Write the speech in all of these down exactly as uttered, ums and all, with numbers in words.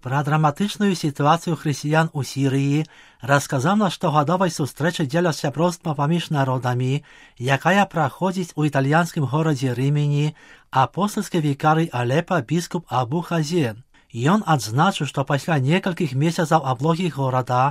Пра драматычную сітуацыю хрысціян у Сірыі расказаў на штогадовай сустрэчы дзеля сяброўства паміж народамі, якая праходзіць у італьянскім горадзе Рымені, апостальскі вікарый Алепа біскуп Абу Хазен. Ён адзначыў, што пасля некалькіх месяцаў аблогі горада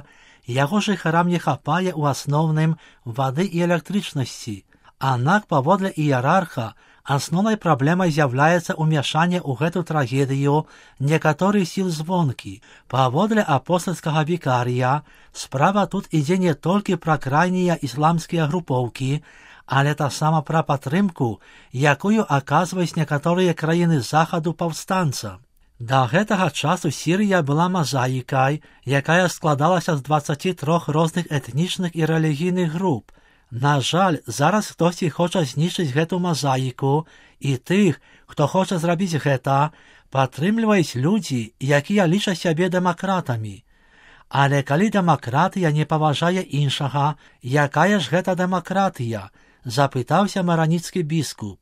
яго жыхарам не хапае ў асноўным вады і электрычнасці. Аднак паводле іерарха асноўнай праблемай з'яўляецца ўмяшанне ў гэту трагедыю некаторых сіл звонкі. Паводле апостальскага вікарыя, справа тут ідзе не толькі пра крайнія ісламскія групоўкі, але таксама пра падтрымку, якую аказваюць некаторыя краіны захаду паўстанцам. Да гэтага часу Сірыя была мазаікай, якая складалася з дваццаці трох розных этнічных і рэлігійных груп. На жаль, зараз хтосьці хоча знішчыць гэту мазаіку, і тых, хто хоча зрабіць гэта, падтрымліваюць людзі, якія лічаць сябе дэмакратамі. Але калі дэмакратыя не паважае іншага, якая ж гэта дэмакратыя? Запытаўся мараніцкі біскуп.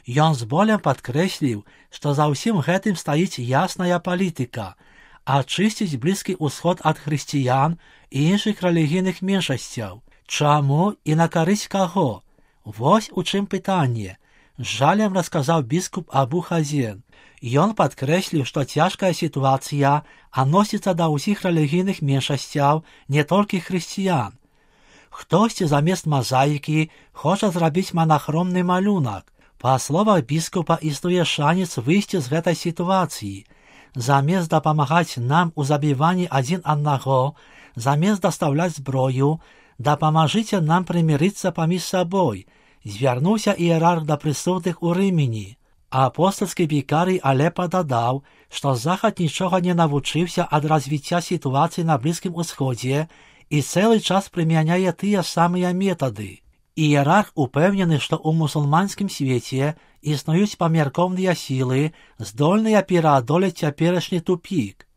Ён з болем падкрэсліў, што за ўсім гэтым стаіць ясная палітыка – ачысціць Блізкі ўсход ад хрысціян і іншых рэлігійных меншасцяў. Чаму і на карысць каго? Вось у чым пытанне, з жалем расказаў біскуп Абу Хазен. Ён падкрэсліў, што цяжкая сітуацыя адносіцца да ўсіх рэлігійных меншасцяў, не толькі хрысціян. Хтосьці замест мазаікі хоча зрабіць манахромны малюнак. Па словах біскупа, існуе шанец выйсці з гэтай сітуацыі. Замест дапамагаць нам у забіванні адзін аднаго, замест дастаўляць зброю, дапамажыце нам прымірыцца паміж сабой, звярнуўся іерарх да прысутных у Рымені. Апостальскі вікарый Алепа дадаў, што захад нічога не навучыўся ад развіцця сітуацыі на Блізкім Усходзе і цэлы час прымяняе тыя самыя метады. Іерарх упэўнены, што ў мусульманскім свеце існуюць памяркоўныя сілы, здольныя пераадолець цяперашні тупік.